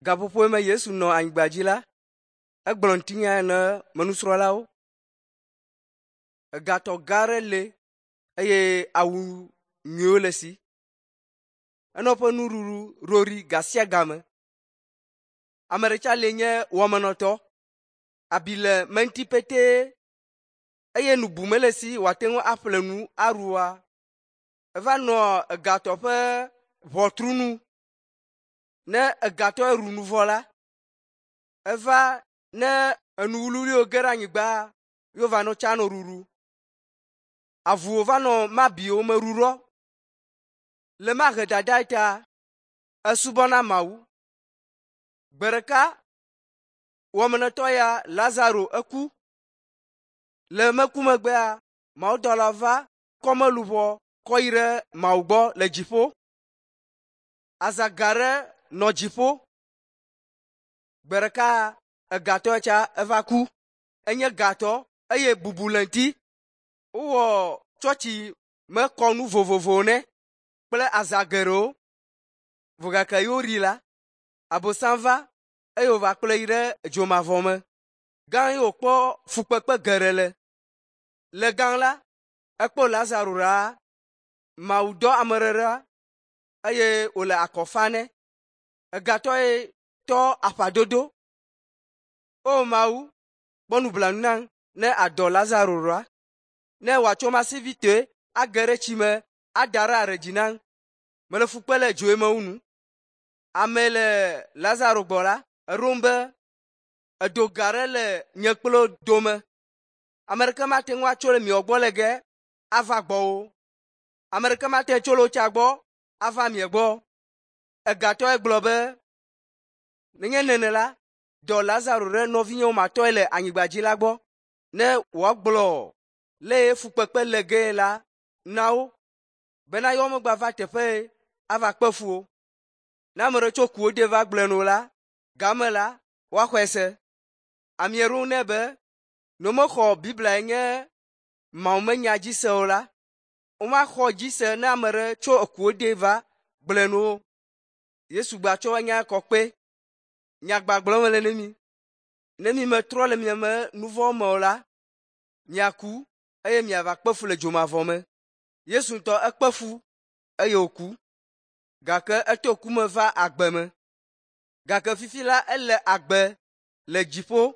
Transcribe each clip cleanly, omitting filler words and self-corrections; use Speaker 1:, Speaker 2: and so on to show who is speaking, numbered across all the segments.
Speaker 1: Gaƒoƒo me Yesu nɔ anyigba dzi la, egblɔ ŋutinya na menusrɔ̃lawo. Egatɔ gã aɖe le eye awu nyuiwo le esi. Enɔ eƒe nuɖuɖu roɖi ga sia game. Ame ɖe tsa le nye wɔmenɔtɔ. Abi le me ŋuti petee eye nu bu mele esi wòate ŋu aƒle nu aɖua. Eva nɔ egatɔ ƒe ʋɔtru nu. Ne egatɔ ɖu nu vɔ la, eva ne enu wluiwluiwo ge ɖe anyigba ye wova nɔ tsa nɔ ɖuɖu. Avuwo va nɔ mabiwo me ɖuɖɔ. Le ma ahedada ta, esubɔna Mawu. Gbe ɖeka wɔmenɔtɔ ya Lazaro eku. Le meku megbea, mawudɔla va kɔ meluʋɔ kɔ yi ɖe Mawu gbɔ le dziƒo. Aza gã aɖe nɔ dziƒo. Gbe ɖeka egatɔ tsa eva ku. Enye gatɔ eye bubu le eŋuti. Wowɔ tsɔtsi me kɔnu vovovowo nɛ kple aza geɖewo. Vɔ gake ye woɖi la, Abosam va eye wòva kplɔe yi ɖe dzomavɔ me. Gã ye wòkpɔ fukpekpe geɖe le. Le gã la, ekpɔ Lazaro ɖaa. Mawu dɔ ame ɖe ɖa eye wòle akɔ fa nɛ. Egatɔ ye tɔ aƒadodo. O Mawu, kpɔ nublanui nam ne adɔ Lazaro ɖa. Ne wòatsɔ masivitoe age ɖe tsi me ada ɖe aɖe dzi nam. Mele fu kpe le dzoe me wu nu. Ame le Lazaro gbɔ la, eɖom be edo gã aɖe le nye kple wo dome. Ame ɖeke mate ŋu atso le miawo gbɔ le ge ava gbɔwò. Ame ɖeke mate ŋu tso le wotsa gbɔ ava mia gbɔ. Egatɔe gblɔ be, nenye nene la, dɔ Lazaro ɖe nɔvinyewo matɔe le anyigba dzi la gbɔ ne wòagblɔ le ye fukpekpe le gee la na wo bena yewo megbava teƒe ava kpe fu o. Ne ame ɖe tso kuwo de va gblɔe no la, game la, woaxɔe se. Amea ɖo nɛ be, ne womexɔ Biblia nye Mawumenya dzi se o la, womaxɔ dzi se ne ame ɖe tso ekuwo de va gblɔe no o. Yesu gbatsɔ nya kɔ kpe. Nyagba gblɔm mele ne mi. Ne mi metrɔ le miame nu vɔ̃ me o la, miaku eye miava kpe fu le dzomavɔ me. Yesu ŋutɔ ekpe fu eye wòku gake eto ku me va agbe me. Gake fifi la ele agbe le dziƒo.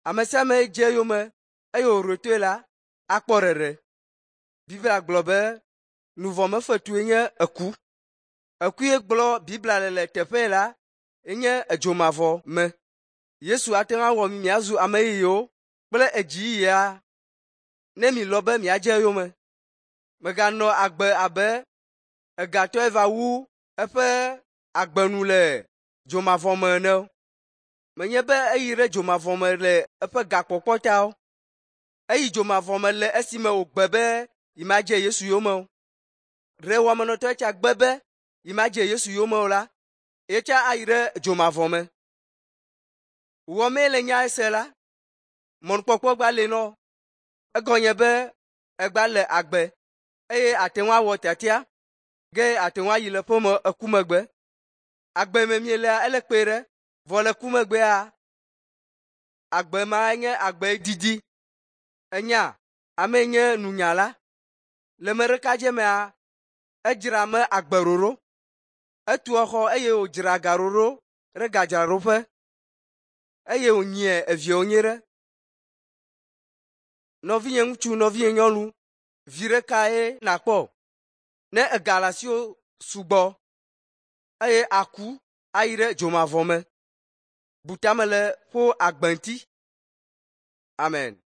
Speaker 1: Ame sia ame dze eyome eye wòɖo toe la akpɔ ɖeɖe. Biblia gblɔ be nu vɔ̃ me fetue nye eku. Eku ye gblɔ Biblia le le teƒe la enye edzomavɔ me. Yesu ate ŋu awɔ mi miazu ame yeyewo kple edziyiyia ne mi lɔ̃ be miadze eyome. Mèganɔ agbe abe egatɔe va wu eƒe agbenu le dzomavɔ me ene o. Menye be eyi ɖe dzomavɔ me le eƒe gakpɔkpɔ ta o. Eyi dzomavɔ me le esime wògbe be yemadze Yesu yome o. Ɖe wɔmenɔtɔ tsa gbe be yemadze Yesu yome o la, yetsa ayi ɖe dzomavɔ me. Wɔmee le nya ese la, mɔnukpɔkpɔ gba le nɔ. Egɔnye be egba le agbe eye ate ŋu awɔ tiatia ge ate ŋu ayi le ƒeme eku megbe. Agbe me mielea ele kpe ɖe vɔ le ku megbea agbe ma nye agbe didi. Enya ame nye nunyala. Le me ɖeka dze mea edzra me agbe ɖoɖo. Etu exɔ eye wòdzra ga ɖoɖo ɖe gadzraɖoƒe eye wònyie eviawo nyuie ɖe. Nɔvinye ŋutsu, nɔvinye nyɔnu, viɖe kae nàkpɔ ne ega le asiwò sugbɔ eye aku ayi ɖe dzomavɔ me? Bu tame le ƒo agbe ŋuti. Amen.